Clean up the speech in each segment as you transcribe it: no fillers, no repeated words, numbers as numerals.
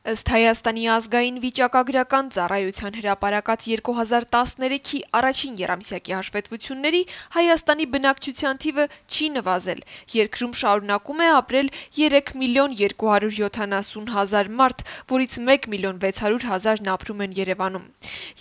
Ըստ Հայաստանի ազգային վիճակագրական ծառայության հրապարակած 2013-ի առաջին եռամսյակի հաշվետվությունների Հայաստանի բնակչության թիվը չի նվազել, երկրում շարունակում է ապրել 3.270.000 մարդ, որից 1.600.000-ն ապրում են Երևանում։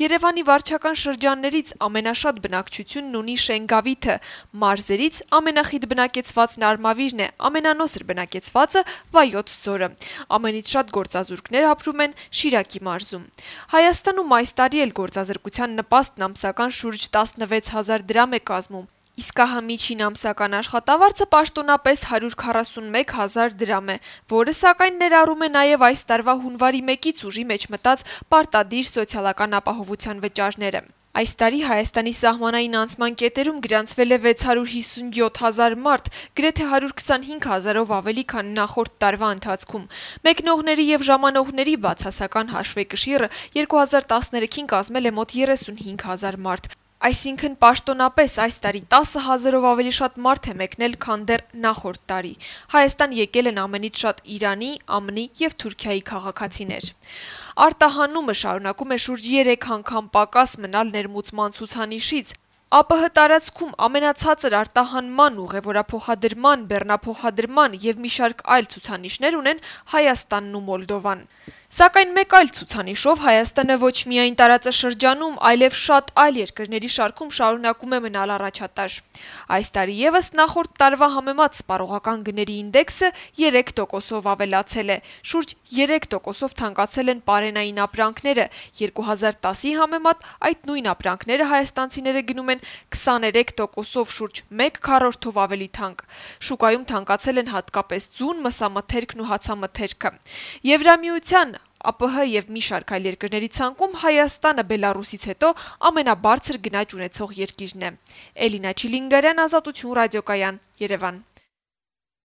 Երևանի վարչական շրջաններից ամենաշատ բնակչությունն ունի Շենգավիթը, մարզերից ամենախիտ բնակեցվածն Արմավիրն է, ամենանոսր բնակեցվածը Վայոց ձորը։ Ամենից շատ գործազուրկներ ապրում են Շիրակի մարզում։ Հայաստանում այս տարի էլ գործազրկության նպաստն ամսական շուրջ 16,000 դրամ է կազմում, իսկ ահա միջին ամսական աշխատավարձը պաշտոնապես 141,000 դրամ է, որը սակայն ներառում է նաև այս տարվա հունվարի 1-ից ուժի մեջ մտած պարտադիր սոցիալական ապահովության վճարները։ Այս տարի Հայաստանի սահմանային անցման կետերում գրանցվել է 657,000 մարդ, գրեթե 125,000-ով ավելի, քան նախորդ տարվա ընթացքում։ Մեկնողների եւ ժամանողների բացասական հաշվեկշիռը 2013-ին կազմել է մոտ 35,000 մարդ։ Այսինքն պաշտոնապես այս տարի 10,000-ով ավելի շատ մարդ է մեկնել, քան դեռ նախորդ տարի։ Հայաստան եկել են ամենից շատ Իրանի, ԱՄՆ-ի եւ Թուրքիայի քաղաքացիներ։ Արտահանումը շարունակում է շուրջ 3 անգամ պակաս մնալ ներմուծման ցուցանիշից։ ԱՊՀ տարածքում ամենացածր արտահանման, ուղևորափոխադրման, բեռնափոխադրման եւ մի շարք այլ ցուցանիշներ ունեն Հայաստանն ու Մոլդովան։ Սակայն մեկ այլ ցուցանիշով Հայաստանը ոչ միայն տարածաշրջանում, այլև շատ այլ երկրների շարքում շարունակում է մնալ առաջատար։ Այս տարի եւս նախորդ տարվա համեմատ սպառողական գների ինդեքսը 3%-ով ավելացել է, շուրջ 3%-ով թանկացել են պարենային ապրանքները, 2010-ի համեմատ այդ նույն ապրանքները հայաստանցիները գնում են 23%-ով, շուրջ 1/4-ով ավելի թանկ։ Շուկայում թանկացել են հատկապես ձուն, մսամթերքն ու հացամթերքը։ Եվրամիության, ԱՊՀ եւ մի շարք այլ երկրների ցանկում Հայաստանը Բելարուսից հետո ամենաբարձր գնաճ ունեցող երկիրն է։ Էլինա Չիլինգարյան, Ազատություն ռադիոկայան, Երևան։